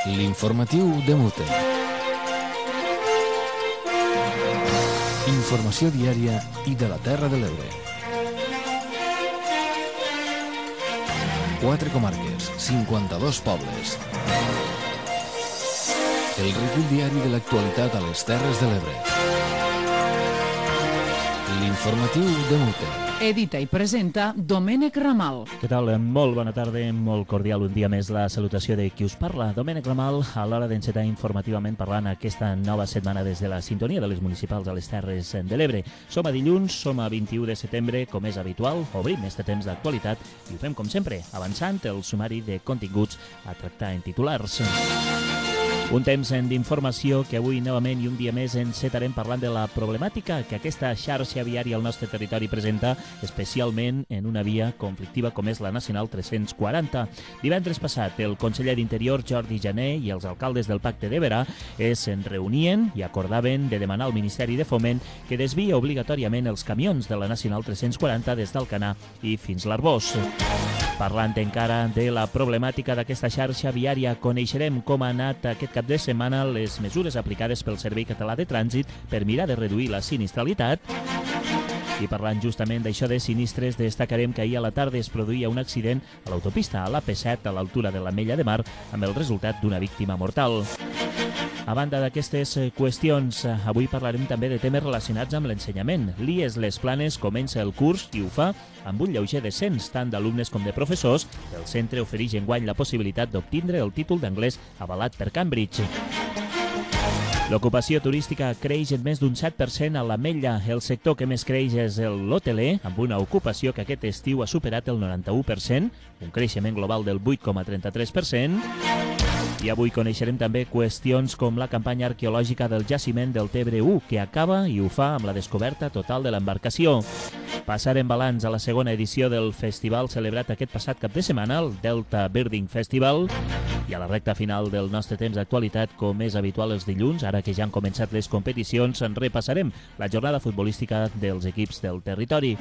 L'informatiu de Mute. Informació diària i de la Terra de l'Ebre. 4 comarques, 52 pobles. El recull diari de l'actualitat a les Terres de l'Ebre. L'informatiu de Mute. Edita i presenta Domènec Ramal. Què tal? Molt bona tarda, molt cordial un dia més la salutació de qui us parla. Domènec Ramal, a l'hora d'encetar informativament parlant aquesta nova setmana des de la sintonia de les municipals a les Terres de l'Ebre. Som a dilluns, som a 21 de setembre, com és habitual, obrim este temps d'actualitat i ho fem com sempre, avançant el sumari de continguts a tractar en titulars. Un temps d'informació que avui novament i un dia més encetarem parlant de la problemàtica que aquesta xarxa viària al nostre territori presenta, especialment en una via conflictiva com és la Nacional 340. Divendres passat, el conseller d'Interior, Jordi Jané, i els alcaldes del Pacte d'Ebre es reunien i acordaven de demanar al Ministeri de Foment que desvia obligatòriament els camions de la Nacional 340 des d'Alcanar i fins l'Arbós. Parlant encara de la problemàtica d'aquesta xarxa viària, coneixerem com ha anat aquest cap de setmana les mesures aplicades pel Servei Català de Trànsit per mirar de reduir la sinistralitat. I parlant justament d'això de sinistres, destacarem que ahir a la tarda es produïa un accident a l'autopista a l'AP7 a l'altura de l'Ametlla de Mar amb el resultat d'una víctima mortal. A banda d'aquestes qüestions, avui parlarem també de temes relacionats amb l'ensenyament. L'IES Les Planes comença el curs i ho fa amb un lleuger descens tant d'alumnes com de professors. El centre ofereix enguany la possibilitat d'obtindre el títol d'anglès avalat per Cambridge. L'ocupació turística creix en més d'un 7% a l'Ametlla. El sector que més creix és l'hoteler, amb una ocupació que aquest estiu ha superat el 91%, un creixement global del 8,33%. I avui coneixerem també qüestions com la campanya arqueològica del jaciment del Tebre 1, que acaba i ho fa amb la descoberta total de l'embarcació. Passarem balanç a la segona edició del festival celebrat aquest passat cap de setmana, el Delta Birding Festival. I a la recta final del nostre temps d'actualitat, com és habitual els dilluns, ara que ja han començat les competicions, en repassarem la jornada futbolística dels equips del territori.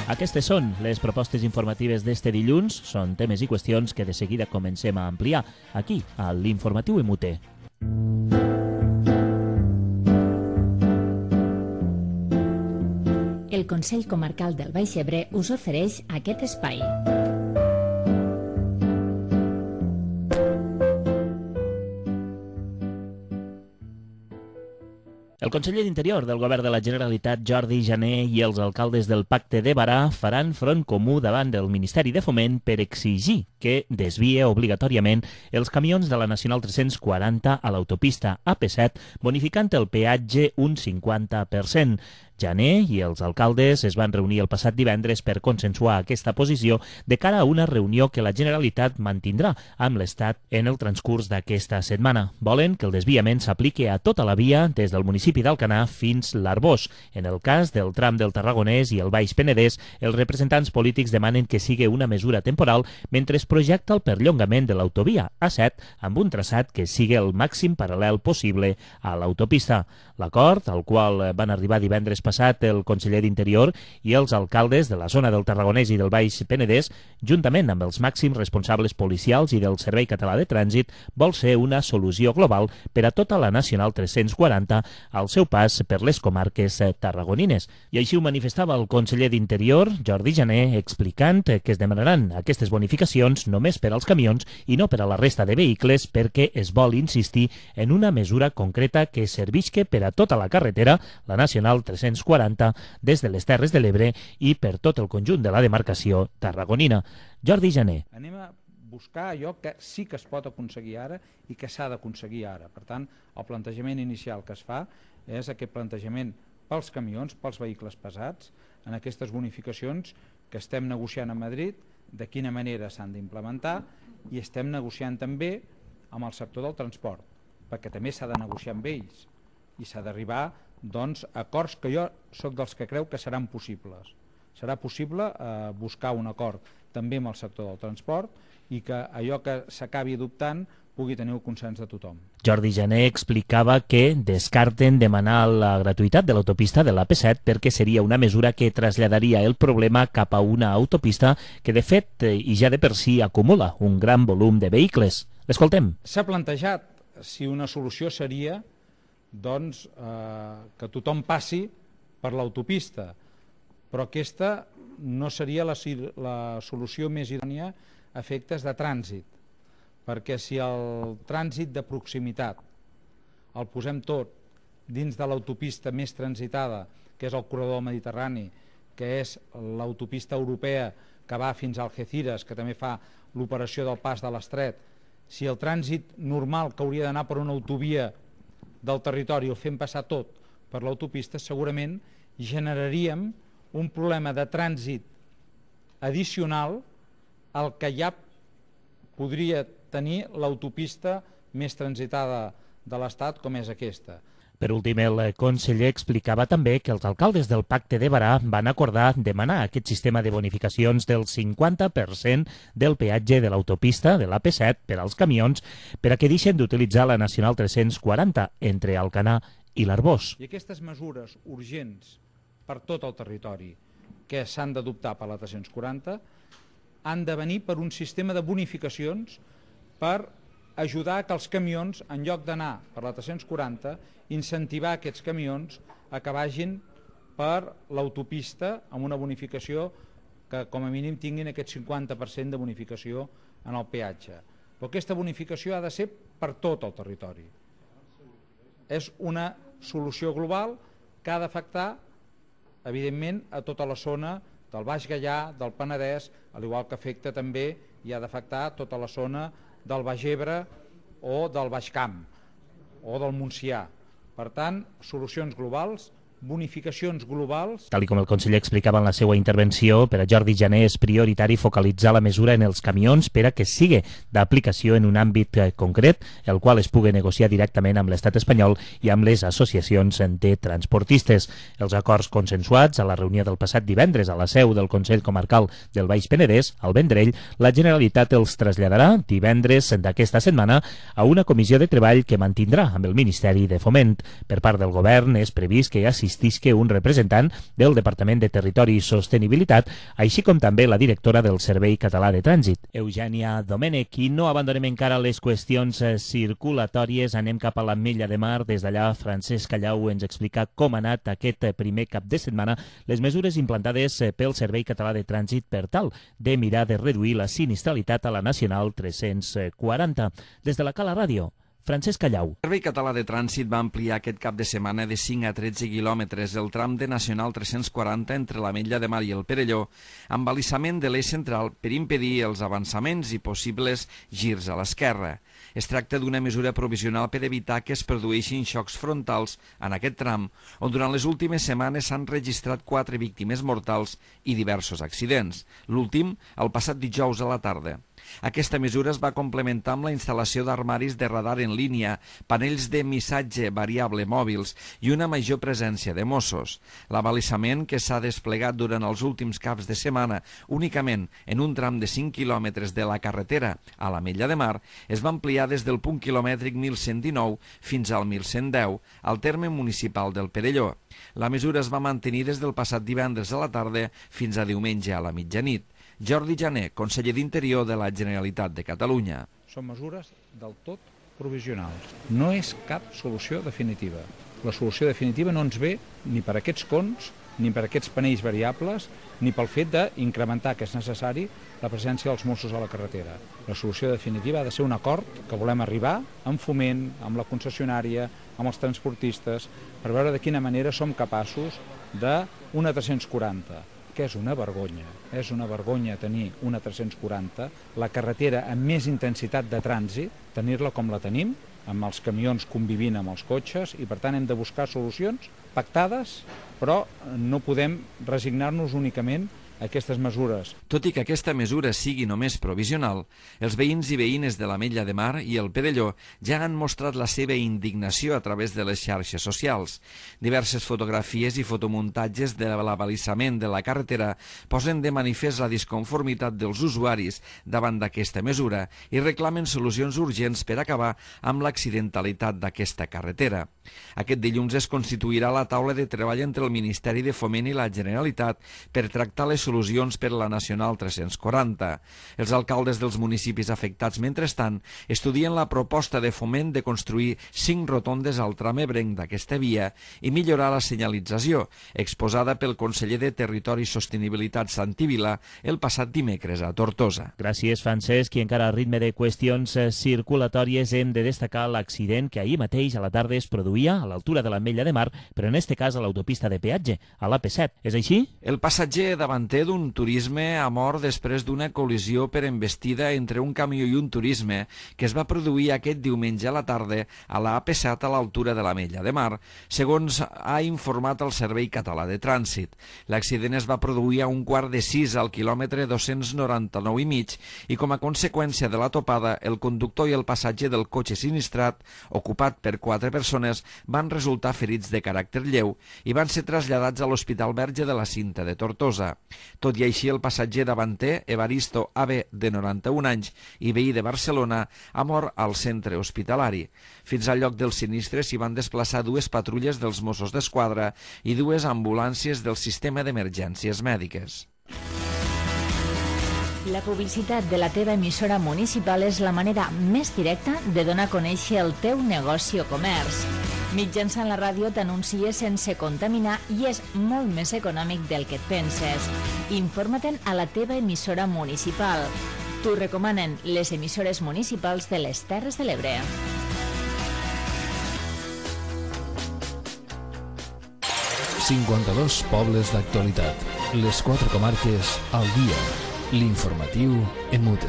Aquestes són les propostes informatives d'este dilluns. Són temes i qüestions que de seguida comencem a ampliar aquí, a l'Informatiu MUT. El Consell Comarcal del Baix Ebre us ofereix aquest espai. El conseller d'Interior del Govern de la Generalitat, Jordi Jané, i els alcaldes del Pacte d'Ebre faran front comú davant del Ministeri de Foment per exigir que desvie obligatòriament els camions de la Nacional 340 a l'autopista AP7, bonificant el peatge un 50%. Jané i els alcaldes es van reunir el passat divendres per consensuar aquesta posició de cara a una reunió que la Generalitat mantindrà amb l'Estat en el transcurs d'aquesta setmana. Volen que el desviament s'apliqui a tota la via des del municipi d'Alcanar fins l'Arbós. En el cas del tram del Tarragonès i el Baix Penedès, els representants polítics demanen que sigui una mesura temporal mentre es projecta el perllongament de l'autovia A7 amb un traçat que sigui el màxim paral·lel possible a l'autopista. L'acord, al qual van arribar divendres passat el conseller d'Interior i els alcaldes de la zona del Tarragonès i del Baix Penedès, juntament amb els màxims responsables policials i del Servei Català de Trànsit, vol ser una solució global per a tota la Nacional 340 al seu pas per les comarques tarragonines. I així ho manifestava el conseller d'Interior, Jordi Jané, explicant que es demanaran aquestes bonificacions només per als camions i no per a la resta de vehicles perquè es vol insistir en una mesura concreta que servisca per a tota la carretera, la Nacional 340, des de les Terres de l'Ebre i per tot el conjunt de la demarcació tarragonina. Jordi Jané. Anem a buscar allò que sí que es pot aconseguir ara i que s'ha d'aconseguir ara. Per tant, el plantejament inicial que es fa és aquest plantejament pels camions, pels vehicles pesats, en aquestes bonificacions que estem negociant a Madrid, de quina manera s'han d'implementar, i estem negociant també amb el sector del transport, perquè també s'ha de negociar amb ells i s'ha d'arribar doncs, a acords que jo sóc dels que creu que seran possibles. Serà possible buscar un acord també amb el sector del transport i que allò que s'acabi adoptant pugui tenir el consens de tothom. Jordi Jané explicava que descarten demanar la gratuïtat de l'autopista de l'AP7 perquè seria una mesura que traslladaria el problema cap a una autopista que de fet i ja de per si acumula un gran volum de vehicles. L'escoltem. S'ha plantejat si una solució seria doncs, que tothom passi per l'autopista, però aquesta no seria la solució més idònia a efectes de trànsit, perquè si el trànsit de proximitat el posem tot dins de l'autopista més transitada, que és el corredor mediterrani, que és l'autopista europea que va fins a Algeciras, que també fa l'operació del pas de l'Estret, si el trànsit normal que hauria d'anar per una autovia del territori el fem passar tot per l'autopista, segurament generaríem un problema de trànsit addicional al que ja podria tenir l'autopista més transitada de l'Estat, com és aquesta. Per últim, el conseller explicava també que els alcaldes del Pacte de Barà van acordar demanar aquest sistema de bonificacions del 50% del peatge de l'autopista de l'AP7 per als camions per a que deixen d'utilitzar la Nacional 340 entre Alcanar i l'Arbós. I aquestes mesures urgents per tot el territori que s'han d'adoptar per la 340 han de venir per un sistema de bonificacions per ajudar que els camions, en lloc d'anar per la 340, incentivar aquests camions a que vagin per l'autopista amb una bonificació que com a mínim tinguin aquest 50% de bonificació en el peatge. Però aquesta bonificació ha de ser per tot el territori. És una solució global que ha d'afectar evidentment a tota la zona del Baix Gaià, del Penedès, al igual que afecta també i ha d'afectar tota la zona del Baix Ebre o del Baix Camp o del Montsià. Per tant, solucions globals, bonificacions globals. Tal com el conseller explicava en la seva intervenció, per a Jordi Jané és prioritari focalitzar la mesura en els camions per a que sigui d'aplicació en un àmbit concret, el qual es pugui negociar directament amb l'estat espanyol i amb les associacions de transportistes. Els acords consensuats a la reunió del passat divendres a la seu del Consell Comarcal del Baix Penedès, al Vendrell, la Generalitat els traslladarà divendres d'aquesta setmana a una comissió de treball que mantindrà amb el Ministeri de Foment. Per part del govern és previst que assistisca un representant del Departament de Territori i Sostenibilitat, així com també la directora del Servei Català de Trànsit, Eugènia Domènech. I no abandonem encara les qüestions circulatòries, anem cap a l'Ametlla de Mar. Des d'allà, Francesc Callau ens explica com ha anat aquest primer cap de setmana les mesures implantades pel Servei Català de Trànsit per tal de mirar de reduir la sinistralitat a la Nacional 340. Des de la Cala Ràdio, Francesc Callau. El Servei Català de Trànsit va ampliar aquest cap de setmana de 5 a 13 quilòmetres el tram de Nacional 340 entre l'Ametlla de Mar i el Perelló, amb balisament de l'eix central per impedir els avançaments i possibles girs a l'esquerra. Es tracta d'una mesura provisional per evitar que es produeixin xocs frontals en aquest tram, on durant les últimes setmanes s'han registrat 4 víctimes mortals i diversos accidents, l'últim el passat dijous a la tarda. Aquesta mesura es va complementar amb la instal·lació d'armaris de radar en línia, panells de missatge variable mòbils i una major presència de Mossos. L'abalisament, que s'ha desplegat durant els últims caps de setmana únicament en un tram de 5 quilòmetres de la carretera a l'Ametlla de Mar, es va ampliar des del punt quilomètric 1119 fins al 1110, al terme municipal del Perelló. La mesura es va mantenir des del passat divendres a la tarda fins a diumenge a la mitjanit. Jordi Jané, conseller d'Interior de la Generalitat de Catalunya. Són mesures del tot provisionals. No és cap solució definitiva. La solució definitiva no ens ve ni per aquests cons, ni per aquests panells variables, ni pel fet d'incrementar, que és necessari, la presència dels Mossos a la carretera. La solució definitiva ha de ser un acord que volem arribar amb Foment, amb la concessionària, amb els transportistes, per veure de quina manera som capaços d'una 340, que és una vergonya tenir una 340, la carretera amb més intensitat de trànsit, tenir-la com la tenim, amb els camions convivint amb els cotxes, i per tant hem de buscar solucions pactades, però no podem resignar-nos únicament a aquestes mesures. Tot i que aquesta mesura sigui només provisional, els veïns i veïnes de l'Ametlla de Mar i el Perelló ja han mostrat la seva indignació a través de les xarxes socials. Diverses fotografies i fotomuntatges de l'abalisament de la carretera posen de manifest la disconformitat dels usuaris davant d'aquesta mesura i reclamen solucions urgents per acabar amb l'accidentalitat d'aquesta carretera. Aquest dilluns es constituirà la taula de treball entre el Ministeri de Foment i la Generalitat per tractar les solucions per a la Nacional 340. Els alcaldes dels municipis afectats, mentrestant, estudien la proposta de Foment de construir 5 rotondes al tram ebrenc d'aquesta via i millorar la senyalització, exposada pel conseller de Territori i Sostenibilitat Santi Vila el passat dimecres a Tortosa. Gràcies, Francesc, i encara a ritme de qüestions circulatòries hem de destacar l'accident que ahir mateix a la tarda es produïa a l'altura de l'Ametlla de Mar, però en este cas a l'autopista de peatge, a l'AP7. És així? El passatger davanter d'un turisme ha mort després d'una col·lisió per embestida entre un camió i un turisme que es va produir aquest diumenge a la tarda a la AP7 a l'altura de l'Ametlla de Mar, segons ha informat el Servei Català de Trànsit. L'accident es va produir a 5:15 al quilòmetre 299,5 i com a conseqüència de la topada, el conductor i el passatger del cotxe sinistrat, ocupat per 4 persones, van resultar ferits de caràcter lleu i van ser traslladats a l'Hospital Verge de la Cinta de Tortosa. Tot i així, el passatger davanter, Evaristo AB, de 91 anys i veí de Barcelona, ha mort al centre hospitalari. Fins al lloc del sinistre s'hi van desplaçar 2 patrulles dels Mossos d'Esquadra i 2 ambulàncies del sistema d'emergències mèdiques. La publicitat de la teva emissora municipal és la manera més directa de donar a conèixer el teu negoci o comerç. Mitjançant la ràdio t'anuncies sense contaminar i és molt més econòmic del que et penses. Informa-te'n a la teva emissora municipal. T'ho recomanen les emissores municipals de les Terres de l'Ebre. ...52 pobles d'actualitat. Les 4 comarques al dia. L'informatiu EMUTE.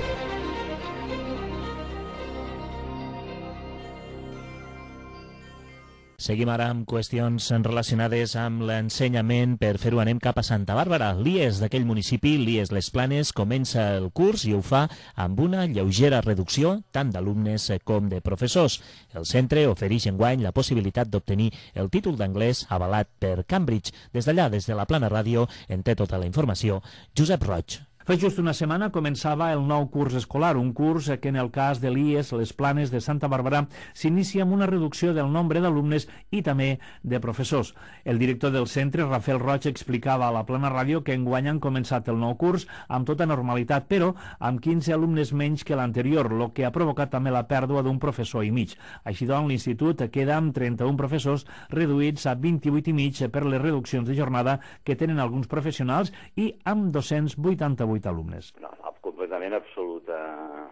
Seguim ara amb qüestions relacionades amb l'ensenyament. Per fer-ho anem cap a Santa Bàrbara. L'IES d'aquell municipi, l'IES Les Planes, comença el curs i ho fa amb una lleugera reducció tant d'alumnes com de professors. El centre ofereix enguany la possibilitat d'obtenir el títol d'anglès avalat per Cambridge. Des d'allà, des de la Plana Ràdio, en té tota la informació Josep Roig. Fa just una setmana començava el nou curs escolar, un curs que en el cas de l'IES Les Planes de Santa Bàrbara s'inicia amb una reducció del nombre d'alumnes i també de professors. El director del centre, Rafael Roig, explicava a la Plana Ràdio que enguany han començat el nou curs amb tota normalitat, però amb 15 alumnes menys que l'anterior, el que ha provocat també la pèrdua d'un professor i mig. Així doncs, l'institut queda amb 31 professors reduïts a 28 i mig per les reduccions de jornada que tenen alguns professionals i amb 288 alumnes. No, completament absoluta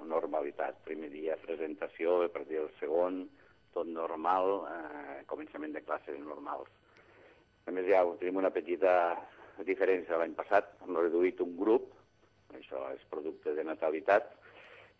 normalitat. Primer dia presentació, a partir del segon, tot normal, començament de classes normals. A més, ja tenim una petita diferència de l'any passat. Hem reduït un grup, això és producte de natalitat,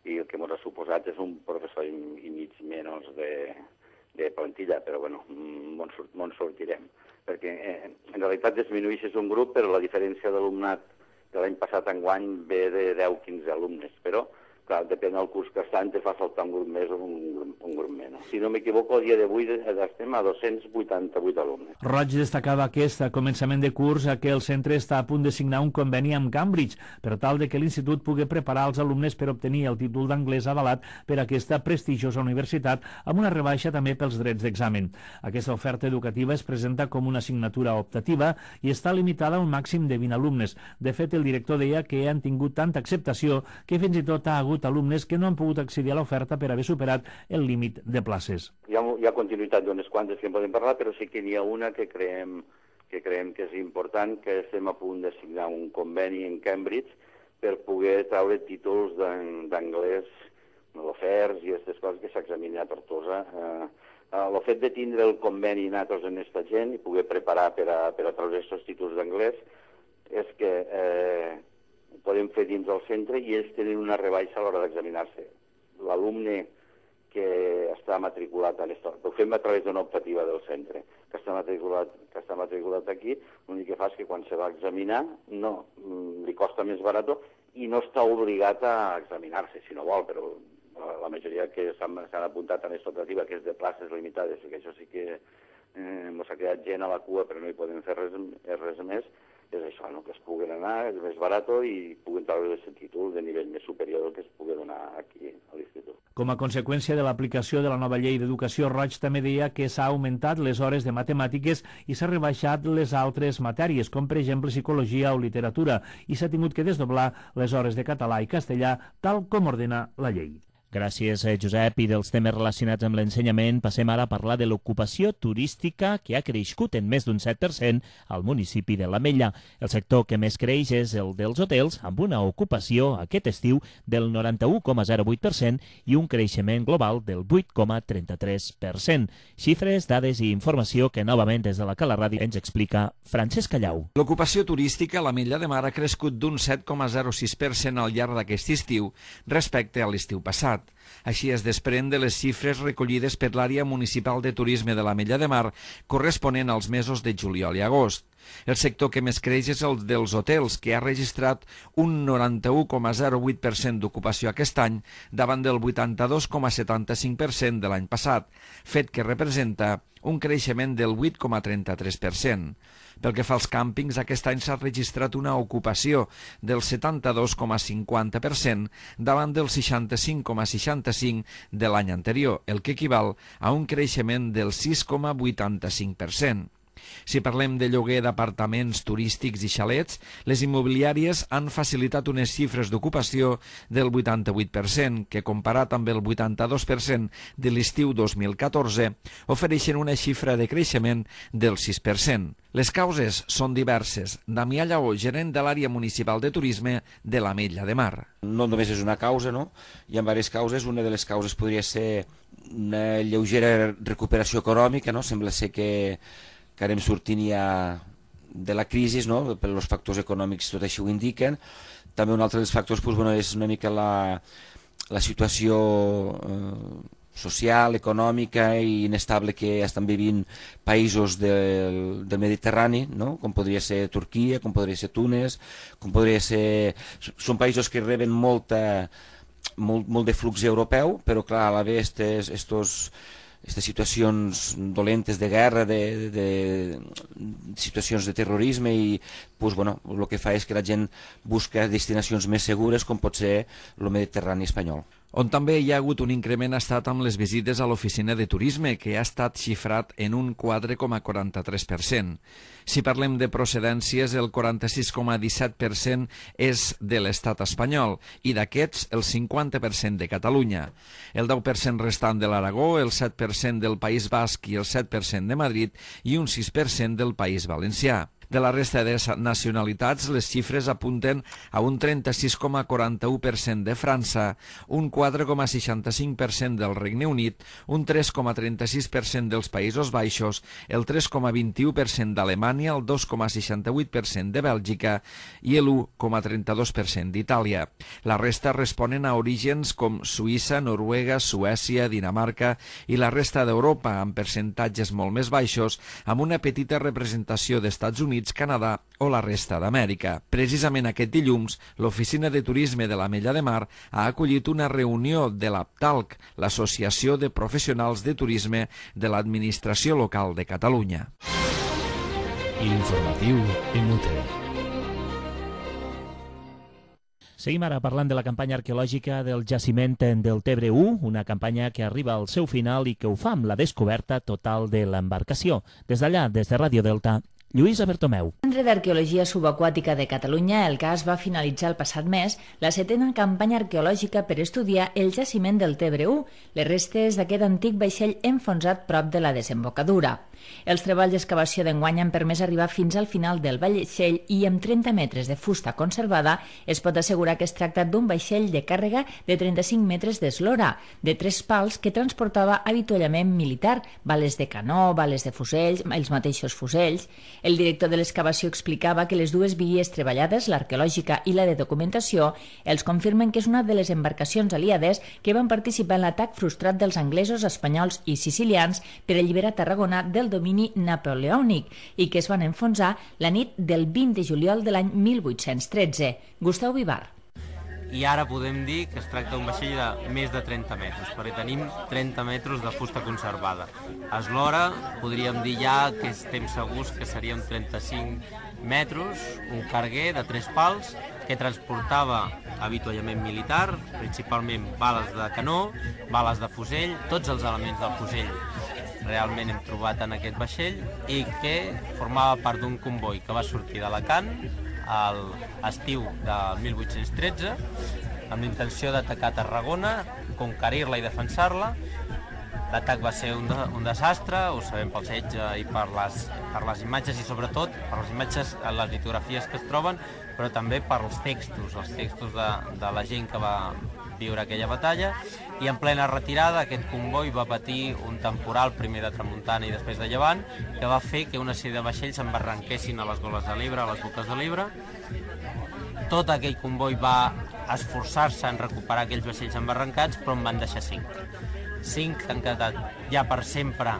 i el que ens ha suposat és un professor i mig menys de plantilla, però bueno, on sortirem. Perquè en realitat disminueixes un grup, però la diferència d'alumnat de l'any passat enguany ve de 10-15 alumnes, però clar, depèn del curs que estan, te fa saltar un grup més o un grup menys. Si no m'equivoco, el dia d'avui estem a 288 alumnes. Roig destacava aquest començament de curs que el centre està a punt de signar un conveni amb Cambridge per tal de que l'institut pugui preparar els alumnes per obtenir el títol d'anglès avalat per aquesta prestigiosa universitat amb una rebaixa també pels drets d'examen. Aquesta oferta educativa es presenta com una assignatura optativa i està limitada a un màxim de 20 alumnes. De fet, el director deia que han tingut tanta acceptació que fins i tot ha hagut alumnes que no han pogut accedir a l'oferta per haver superat el límit de places. Hi ha continuïtat d'unes quantes que en podem parlar, però sí que n'hi ha una que creiem que és important, que estem a punt de signar un conveni en Cambridge per poder treure títols d'anglès, l'OFERS i aquestes coses que s'examinen a Tortosa. El fet de tindre el conveni nosaltres en aquesta gent i poder preparar per a treure aquests títols d'anglès és que podem fer dins del centre i ells tenen una rebaixa a l'hora d'examinar-se. L'alumne que està matriculat en això, ho fem a través d'una optativa del centre, que està matriculat aquí, l'únic que fa és que quan se va examinar li costa més barat i no està obligat a examinar-se, si no vol, però la majoria que s'han apuntat en aquesta optativa, que és de places limitades, que això sí que ens ha quedat gent a la cua, però no hi podem fer res més, és això, no? Que es puguen anar, és més barat i puguen treure aquest títol de nivell més superior que es pugui donar aquí a l'institut. Com a conseqüència de l'aplicació de la nova llei d'educació, Roig també deia que s'ha augmentat les hores de matemàtiques i s'ha rebaixat les altres matèries, com per exemple psicologia o literatura, i s'ha tingut que desdoblar les hores de català i castellà, tal com ordena la llei. Gràcies, Josep. I dels temes relacionats amb l'ensenyament passem ara a parlar de l'ocupació turística, que ha crescut en més d'un 7% al municipi de l'Ametlla. El sector que més creix és el dels hotels, amb una ocupació aquest estiu del 91,08% i un creixement global del 8,33%. Xifres, dades i informació que novament des de la Cala Ràdio ens explica Francesc Callau. L'ocupació turística a l'Ametlla de Mar ha crescut d'un 7,06% al llarg d'aquest estiu respecte a l'estiu passat. Així es desprèn de les xifres recollides per l'àrea municipal de turisme de l'Ametlla de Mar, corresponent als mesos de juliol i agost. El sector que més creix és el dels hotels, que ha registrat un 91,08% d'ocupació aquest any, davant del 82,75% de l'any passat, fet que representa un creixement del 8,33%. Pel que fa als càmpings, aquest any s'ha registrat una ocupació del 72,50% davant del 65,65% de l'any anterior, el que equival a un creixement del 6,85%. Si parlem de lloguer d'apartaments turístics i xalets, les immobiliàries han facilitat unes xifres d'ocupació del 88%, que comparat amb el 82% de l'estiu 2014, ofereixen una xifra de creixement del 6%. Les causes són diverses. Damià Lleó, gerent de l'àrea municipal de turisme de l'Ametlla de Mar. No només és una causa, no? Hi ha diverses causes. Una de les causes podria ser una lleugera recuperació econòmica, no? Sembla ser que anem sortint ja de la crisi, no? Per els factors econòmics tot això ho indiquen. També un altre dels factors és una mica la situació social, econòmica i inestable que estan vivint països del Mediterrani, no? Com podria ser Turquia, com podria ser Túnez, com podria ser... Són països que reben molt de flux europeu, però clar, a la vegada aquestes situacions dolentes de guerra, de situacions de terrorisme, i el que fa és que la gent busca destinacions més segures, com pot ser el Mediterrani espanyol. On també hi ha hagut un increment ha estat amb les visites a l'oficina de turisme, que ha estat xifrat en un 4,43%. Si parlem de procedències, el 46,17% és de l'estat espanyol i d'aquests el 50% de Catalunya. El 10% restant de l'Aragó, el 7% del País Basc i el 7% de Madrid i un 6% del País Valencià. De la resta de nacionalitats, les xifres apunten a un 36,41% de França, un 4,65% del Regne Unit, un 3,36% dels Països Baixos, el 3,21% d'Alemanya, el 2,68% de Bèlgica i el 1,32% d'Itàlia. La resta responen a orígens com Suïssa, Noruega, Suècia, Dinamarca i la resta d'Europa, amb percentatges molt més baixos, amb una petita representació d'Estats Units, Canadà o la resta d'Amèrica. Precisament aquest dilluns, l'Oficina de Turisme de l'Ametlla de Mar ha acollit una reunió de l'APTALC, l'Associació de Professionals de Turisme de l'Administració Local de Catalunya. L'informatiu inútil. Seguim ara parlant de la campanya arqueològica del jaciment del Tebre 1, una campanya que arriba al seu final i que ho fa amb la descoberta total de l'embarcació. Des d'allà, des de Ràdio Delta, Lluïsa Bertomeu. El Centre d'Arqueologia Subaquàtica de Catalunya, el CAS, va finalitzar el passat mes la 7ª campanya arqueològica per estudiar el jaciment del Tebre 1, les restes d'aquest antic vaixell enfonsat prop de la desembocadura. Els treballs d'excavació d'enguany han permès arribar fins al final del vaixell i amb 30 metres de fusta conservada es pot assegurar que es tracta d'un vaixell de càrrega de 35 metres d'eslora, de 3 pals que transportava avituallament militar, bales de canó, bales de fusells, els mateixos fusells. El director de l'excavació explicava que les dues vies treballades, l'arqueològica i la de documentació, els confirmen que és una de les embarcacions aliades que van participar en l'atac frustrat dels anglesos, espanyols i sicilians per alliberar Tarragona del domini napoleònic i que es van enfonsar la nit del 20 de juliol de l'any 1813. Gustau Vivar. I ara podem dir que es tracta d'un vaixell de més de 30 metres, perquè tenim 30 metres de fusta conservada. A eslora podríem dir ja que estem segurs que serien 35 metres, un carguer de 3 pals, que transportava avituallament militar, principalment bales de canó, bales de fusell, tots els elements del fusell realment hem trobat en aquest vaixell, i que formava part d'un comboi que va sortir d'Alacant a l'estiu del 1813 amb l'intenció d'atacar Tarragona, conquerir-la i defensar-la. L'atac va ser un desastre, ho sabem pel setge i per les imatges, i sobretot per les imatges, les litografies que es troben, però també per els textos de la gent que va viure aquella batalla. I en plena retirada aquest comboi va patir un temporal, primer de tramuntana i després de llevant, que va fer que una sèrie de vaixells s'embarranquessin a les goles de l'Ebre, a les boques de l'Ebre. Tot aquell comboi va esforçar-se en recuperar aquells vaixells embarrancats, però en van deixar 5. 5 han quedat ja per sempre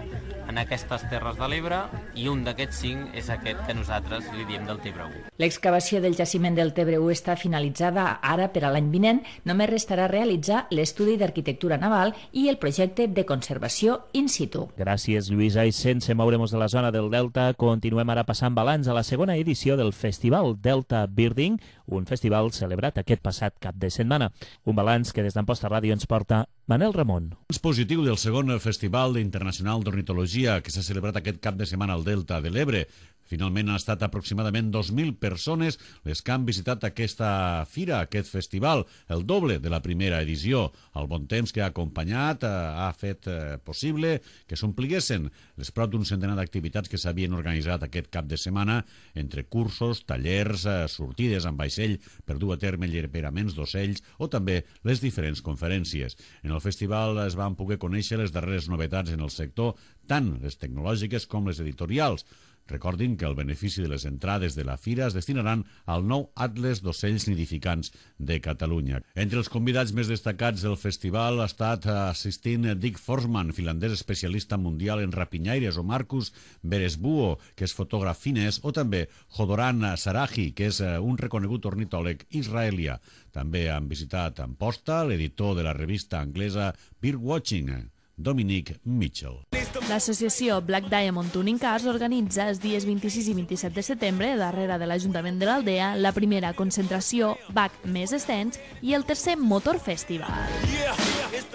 en aquestes terres de l'Ebre, i un d'aquests 5 és aquest que nosaltres li diem del Tebre 1. L'excavació del jaciment del Tebre 1 està finalitzada ara per a l'any vinent. Només restarà realitzar l'estudi d'arquitectura naval i el projecte de conservació in situ. Gràcies, Lluïsa. I sense moure'ns de la zona del Delta, continuem ara passant balanç a la segona edició del Festival Delta Birding, un festival celebrat aquest passat cap de setmana. Un balanç que des d'Amposta Ràdio ens porta Manel Ramon. És positiu del segon Festival Internacional d'Ornitologia que s'ha celebrat aquest cap de setmana al Delta de l'Ebre. Finalment han estat aproximadament 2.000 persones les que han visitat aquesta fira, aquest festival, el doble de la primera edició. El bon temps que ha acompanyat ha fet possible que s'ompliguessin les prop d'un centenar d'activitats que s'havien organitzat aquest cap de setmana, entre cursos, tallers, sortides amb vaixell per dur a terme alliberaments d'ocells o també les diferents conferències. En el festival es van poder conèixer les darreres novetats en el sector, tant les tecnològiques com les editorials. Recordin que el benefici de les entrades de la fira es destinaran al nou Atles d'Ocells Nidificants de Catalunya. Entre els convidats més destacats del festival ha estat assistint Dick Forsman, finlandès especialista mundial en rapinyaires, o Marcus Beresbuo, que és fotògraf finès, o també Jodoran Sarahi, que és un reconegut ornitòleg israelià. També han visitat Amposta l'editor de la revista anglesa Birdwatching, Dominic Mitchell. L'associació Black Diamond Tuning Cars organitza els dies 26 i 27 de setembre, darrere de l'Ajuntament de l'Aldea, la primera concentració BAC més extens i el tercer Motor Festival.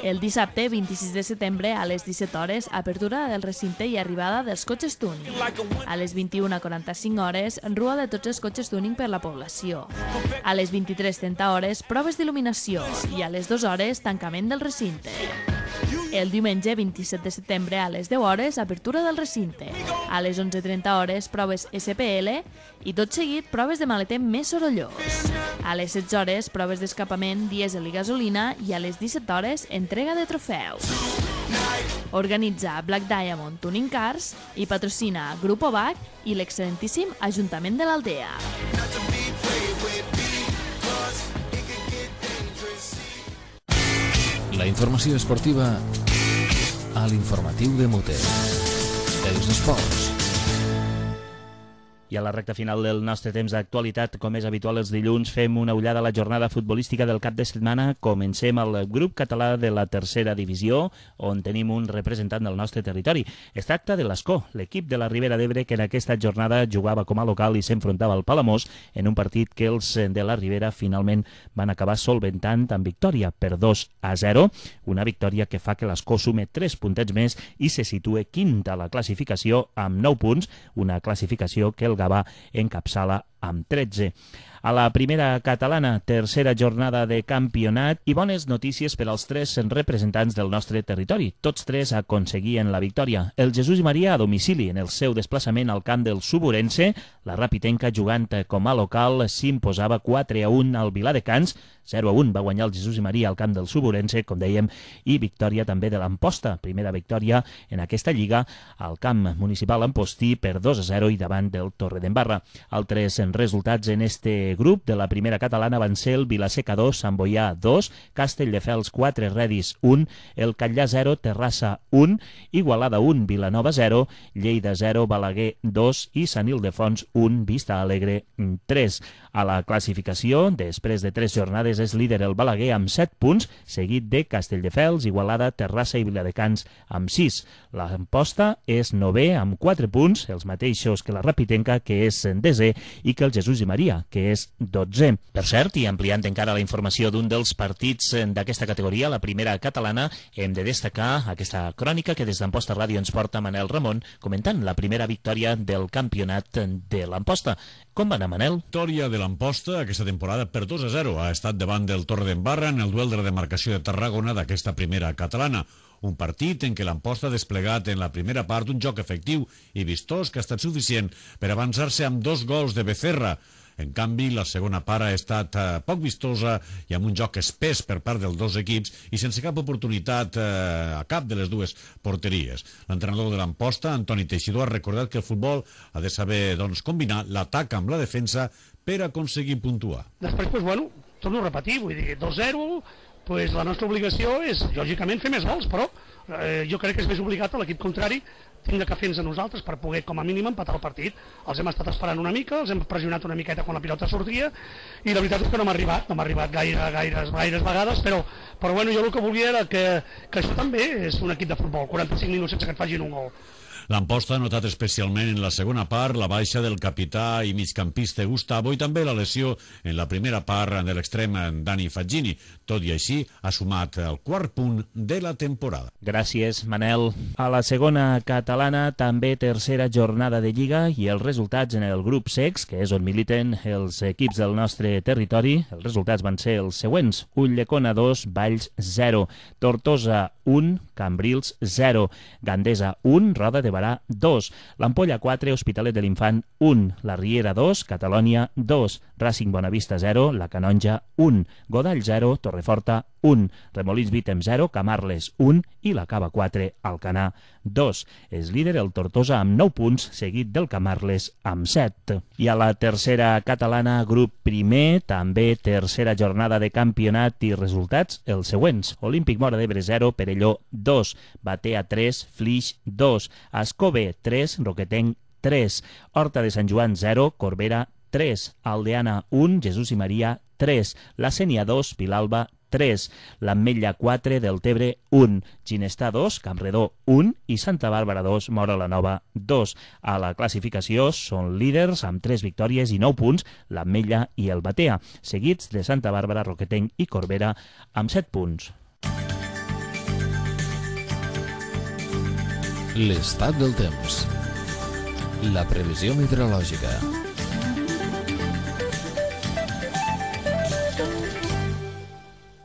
El dissabte 26 de setembre a les 17 hores, apertura del recinte i arribada dels cotxes tuning. A les 21:45 hores, rua de tots els cotxes tuning per la població. A les 23:30 hores, proves d'il·luminació i a les 2 hores, tancament del recinte. El diumenge 27 de setembre a les 10 hores, apertura del recinte. A les 11:30 hores, proves SPL i tot seguit proves de maleter més sorollós. A les 16 hores, proves d'escapament dièsel i gasolina i a les 17 hores, entrega de trofeus. Organitza Black Diamond Tuning Cars i patrocina Grupo BAC i l'excel·lentíssim Ajuntament de l'Aldea. La informació esportiva a l'informatiu de Muter. Els esports. I a la recta final del nostre temps d'actualitat, com és habitual els dilluns, fem una ullada a la jornada futbolística del cap de setmana. Comencem al grup català de la tercera divisió, on tenim un representant del nostre territori. Es tracta de l'Escó, l'equip de la Ribera d'Ebre que en aquesta jornada jugava com a local i s'enfrontava al Palamós en un partit que els de la Ribera finalment van acabar solventant amb victòria per 2-0, una victòria que fa que l'Escó sume 3 puntets més i se situe quint a la classificació amb 9 punts, una classificació que el Gavà encapçala amb 13. A la primera catalana, tercera jornada de campionat i bones notícies per als 3 representants del nostre territori. Tots 3 aconseguien la victòria. El Jesús i Maria a domicili en el seu desplaçament al camp del Suburense. La Rapitenca, jugant com a local, s'imposava 4-1 al Viladecans. 0-1 va guanyar el Jesús i Maria al camp del Suburense, com dèiem, i victòria també de l'Amposta. Primera victòria en aquesta lliga al camp municipal Ampostí per 2-0 i davant del Torredembarra. Altres resultats en este grup de la primera catalana van ser el Vilaseca 2, Sant Boià 2, Castelldefels 4, Redis 1, el Catllà 0, Terrassa 1, Igualada 1, Vilanova 0, Lleida 0, Balaguer 2 i Sant Ildefons 1, Vista Alegre 3. A la classificació, després de 3 jornades, és líder el Balaguer amb 7 punts, seguit de Castelldefels, Igualada, Terrassa i Viladecans amb 6. L'Amposta és 9è amb 4 punts, els mateixos que la Rapitenca, que és 10è i que que el Jesús i Maria, que és 12è. Per cert, i ampliant encara la informació d'un dels partits d'aquesta categoria, la primera catalana, hem de destacar aquesta crònica que des d'Amposta Ràdio ens porta Manel Ramon, comentant la primera victòria del campionat de l'Amposta. Com va anar, Manel? Victòria de l'Amposta aquesta temporada per 2-0. Ha estat davant del Torredembarra en el duel de la demarcació de Tarragona d'aquesta primera catalana. Un partit en què l'Amposta ha desplegat en la primera part un joc efectiu i vistós que ha estat suficient per avançar-se amb 2 gols de Becerra. En canvi, la segona part ha estat poc vistosa i amb un joc espès per part dels dos equips i sense cap oportunitat a cap de les dues porteries. L'entrenador de l'Amposta, Antoni Teixidor, ha recordat que el futbol ha de saber combinar l'atac amb la defensa per aconseguir puntuar. Després, torno a repetir, vull dir, 2-0, la nostra obligació és, lògicament, fer més gols, però jo crec que és més obligat a l'equip contrari tindre que fer-nos a nosaltres per poder, com a mínim, empatar el partit. Els hem estat esperant una mica, els hem pressionat una miqueta quan la pilota sortia, i la veritat és que no m'ha arribat gaires vegades, però jo el que volia era que això també és un equip de futbol, 45 minuts sense que et facin un gol. L'Amposta ha notat especialment en la segona part la baixa del capità i migcampista Gustavo i també la lesió en la primera part de l'extrem Dani Faggini. Tot i així, ha sumat el 4 punt de la temporada. Gràcies, Manel. A la segona catalana, també tercera jornada de Lliga i els resultats en el grup sex, que és on militen els equips del nostre territori, els resultats van ser els següents. Ulldecona 2, Valls 0, Tortosa 1, Cambrils 0, Gandesa 1, Roda de Barà 2, l'Ampolla 4, Hospitalet de l'Infant 1, la Riera 2, Catalònia 2, Racing Bonavista 0, la Canonja 1, Godall 0, Torreforta 1, Remolins Vítem 0, Camarles 1 i la Cava 4, Alcanar 2. És líder el Tortosa amb 9 punts, seguit del Camarles amb 7. I a la tercera catalana, grup primer, també tercera jornada de campionat i resultats, els següents. Olímpic Móra d'Ebre 0, Perelló 2, Batea 3, Flix 2, Ascove 3, Roquetenc 3, Horta de Sant Joan 0, Corbera 3, Aldeana 1, Jesús i Maria 3, La Sénia 2, Vilalba 3, l'Ametlla 4, Deltebre 1, Ginestà 2, Campredó 1 i Santa Bàrbara 2, Móra la Nova 2. A la classificació són líders amb 3 victòries i 9 punts, l'Ametlla i el Batea, seguits de Santa Bàrbara, Roquetenc i Corbera amb 7 punts. L'estat del temps. La previsió meteorològica.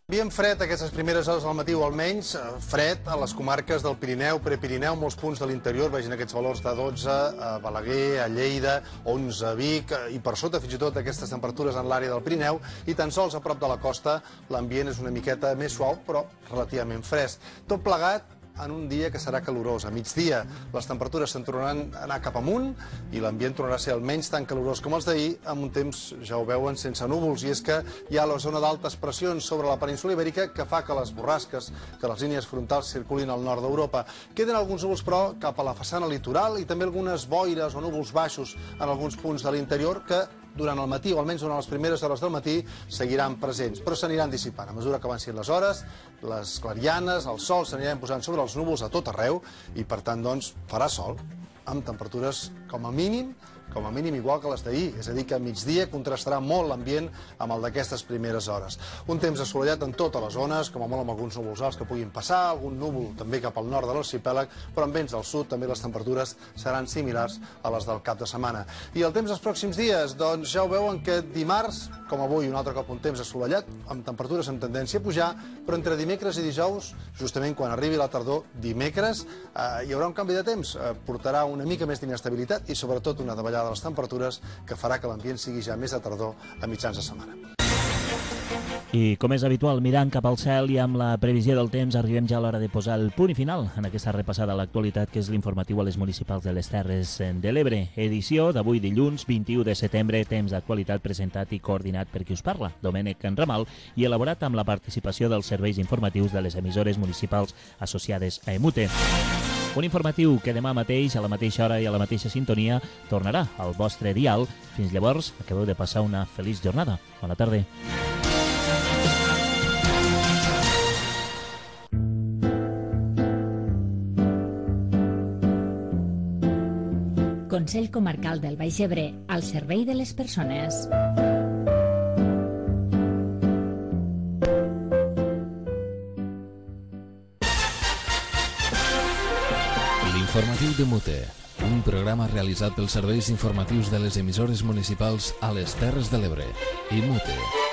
Ambient fred aquestes primeres hores del matí o almenys fred a les comarques del Pirineu, Prepirineu, molts punts de l'interior, vegin aquests valors de 12 a Balaguer, a Lleida, 11 a Vic i per sota fins i tot aquestes temperatures en l'àrea del Pirineu i tan sols a prop de la costa l'ambient és una miqueta més suau però relativament fresc. Tot plegat en un dia que serà calorós. A migdia les temperatures se'n tornaran a anar cap amunt i l'ambient tornarà a ser almenys tan calorós com els d'ahir, amb un temps, ja ho veuen, sense núvols. I és que hi ha la zona d'altes pressions sobre la península Ibèrica que fa que les borrasques, que les línies frontals circulin al nord d'Europa. Queden alguns núvols, però, cap a la façana litoral i també algunes boires o núvols baixos en alguns punts de l'interior que durant el matí, o almenys durant les primeres hores del matí, seguiran presents, però s'aniran dissipant. A mesura que avancin les hores, les clarianes, el sol s'aniran posant sobre els núvols a tot arreu i, per tant, doncs, farà sol, amb temperatures com a mínim igual que les d'ahir, és a dir, que a migdia contrastarà molt l'ambient amb el d'aquestes primeres hores. Un temps assolellat en totes les zones, com a molt amb alguns núvols alts que puguin passar, algun núvol també cap al nord de l'arxipèlag, però en vents del sud també les temperatures seran similars a les del cap de setmana. I el temps dels pròxims dies, doncs ja ho veuen que dimarts, com avui, un altre cop un temps assolellat, amb temperatures amb tendència a pujar, però entre dimecres i dijous, justament quan arribi la tardor, dimecres, hi haurà un canvi de temps, portarà una mica més d'inestabilitat i sobretot una davallada de les temperatures que farà que l'ambient sigui ja més de tardor a mitjans de setmana. I com és habitual, mirant cap al cel i amb la previsió del temps, arribem ja a l'hora de posar el punt i final en aquesta repassada a l'actualitat que és l'informatiu a les municipals de les Terres de l'Ebre. Edició d'avui dilluns 21 de setembre, temps d'actualitat presentat i coordinat per qui us parla, Domènec Ramal, i elaborat amb la participació dels serveis informatius de les emissores municipals associades a EMUTE. Un informatiu que demà mateix, a la mateixa hora i a la mateixa sintonia, tornarà al vostre dial. Fins llavors, acabeu de passar una feliç jornada. Bona tarda. Consell Comarcal del Baix Ebre, al servei de les persones. L'informatiu de Mute, un programa realitzat pels serveis informatius de les emissores municipals a les Terres de l'Ebre i Mute.